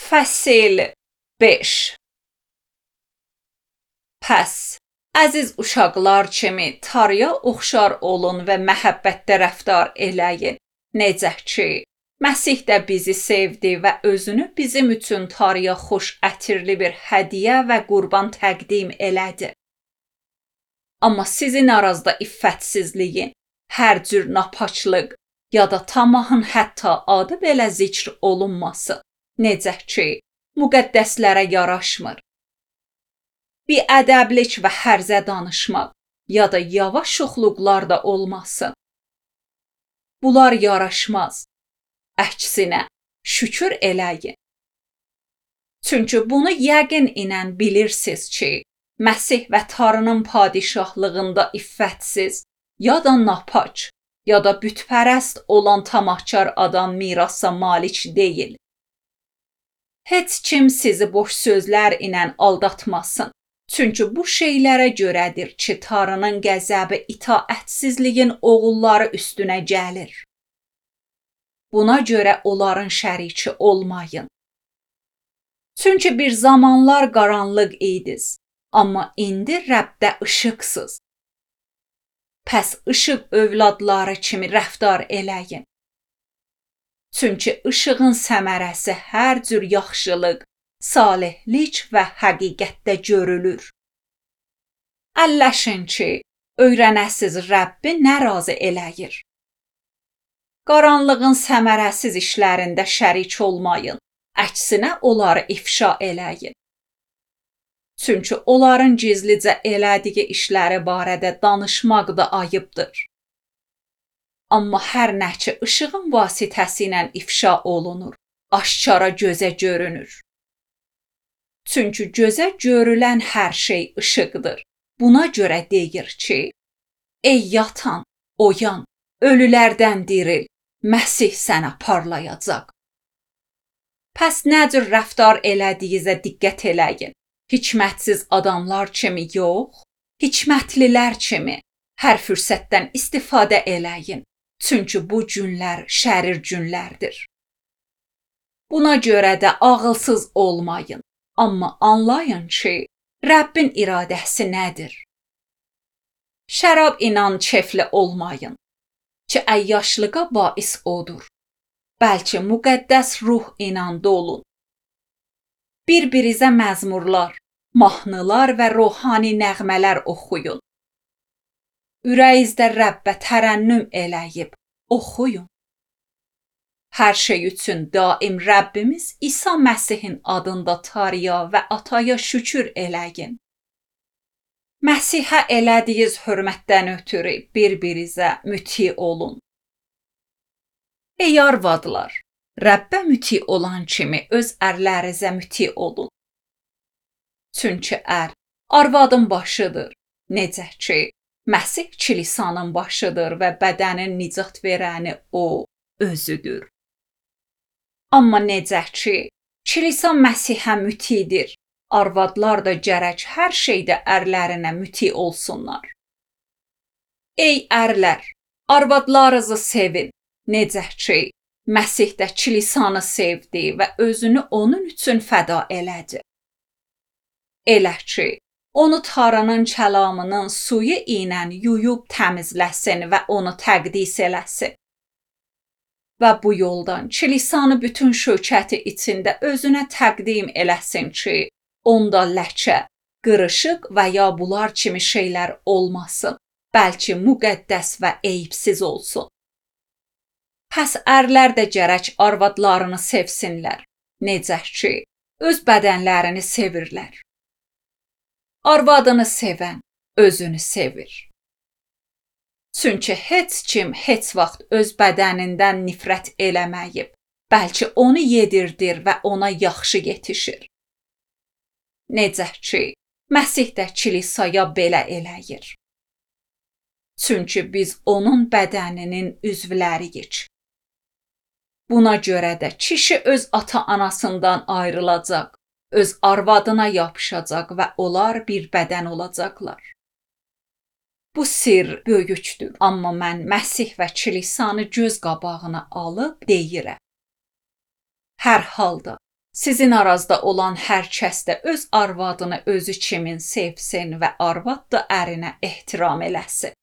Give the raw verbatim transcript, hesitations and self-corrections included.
Fəsil beş. Pəs, əziz uşaqlar kimi tarıya oxşar olun və məhəbbətdə rəftar eləyin. Necə ki, Məsih də bizi sevdi və özünü bizim üçün tarıya xoş ətirli bir hədiyyə və qurban təqdim elədi. Amma sizin aranızda iffətsizliyin, hər cür napaçlıq ya da tamahın hətta adı belə zikr olunması, necə ki, müqəddəslərə yaraşmır. Biədəblik və hərzə danışmaq ya da yavaş şuxluqlar da olmasın. Bunlar yaraşmaz. Əksinə, şükür eləyin. Çünki bunu yəqin ilə bilirsiniz ki, Məsih və Tanrının padişahlığında iffətsiz, ya da napaç, ya da bütpərəst olan tamahkar adam mirasa malik deyil. Heç kim sizi boş sözlər ilə aldatmasın. Çünki bu şeylərə görədir ki, Tanrının qəzəbi itaətsizliyin oğulları üstünə gəlir. Buna görə onların şəriki olmayın. Çünki bir zamanlar qaranlıq idiniz, amma indi Rəbdə işıqsınız. Pəs işıq övladları kimi rəftar eləyin. Çünki işığın səmərəsi hər cür yaxşılıq, salihlik və həqiqətdə görülür. Əlləşin ki, öyrənəsiz Rəbbi nə razı eləyir. Qaranlığın səmərəsiz işlərində şərik olmayın, əksinə onları ifşa eləyin. Çünki onların gizlicə elədiyi işləri barədə danışmaq da ayıbdır. Amma hər nə ki işığın vasitəsilə ifşa olunur, aşkara gözə görünür. Çünki gözə görülən hər şey işıqdır. Buna görə deyir ki, ey yatan, oyan, ölülərdən diril, Məsih sənə parlayacaq. Pəs nə cür rəftar elədiyinizə diqqət eləyin. Hikmətsiz adamlar kimi yox, hikmətlilər kimi hər fürsətdən istifadə eləyin. Çünki bu günlər şərir günlərdir. Buna görə də ağılsız olmayın. Amma anlayın ki, Rəbbin iradəsi nədir? Şərab ilə kefli olmayın ki, əyyaşlığa bais odur. Bəlkə müqəddəs ruh ilə dolun. Bir-birizə məzmurlar, mahnılar və ruhani nəğmələr oxuyun. Ürəyinizdə Rəbbə tərənnüm eləyib, oxuyun. Hər şey üçün daim Rəbbimiz İsa Məsihin adında Tanrıya və Ataya şükür eləyin. Məsihə elədiyiniz hörmətdən ötürü bir-birizə müti olun. Ey arvadlar, Rəbbə müti olan kimi öz ərlərinizə müti olun. Çünki ər arvadın başıdır, necə ki, Məsih kilisanın başıdır və bədənin nicat verəni o özüdür. Amma necə ki, kilisa Məsihə mütidir, arvadlar da gərək hər şeydə ərlərinə müti olsunlar. Ey ərlər, arvadlarınızı sevin, necə ki, Məsih də kilisanı sevdi və özünü onun üçün fəda elədi. Elə ki, onu Tanrının kəlamının suyu ilə yuyub təmizləsin və onu təqdis eləsin. Və bu yoldan kilisanı bütün şökəti içində özünə təqdim eləsin ki, onda ləkə, qırışıq və ya bunlar kimi şeylər olmasın, bəlkə müqəddəs və eyibsiz olsun. Pəs ərlər də gərək arvadlarını sevsinlər, necə ki, öz bədənlərini sevirlər. Arvadını sevən özünü sevir. Çünki heç kim heç vaxt öz bədənindən nifrət eləməyib, bəlkə onu yedirdir və ona yaxşı yetişir. Necə ki, Məsih də kilisaya belə eləyir. Çünki biz onun bədəninin üzvləriyik. Buna görə də kişi öz ata-anasından ayrılacaq, öz arvadına yapışacaq və onlar bir bədən olacaqlar. Bu sir böyükdür, amma mən Məsih və kilisanı göz qabağına alıb deyirəm. Hər halda Sizin arazda olan hər kəs də öz arvadını özü kimin sevsin və arvad da ərinə ehtiram eləsin.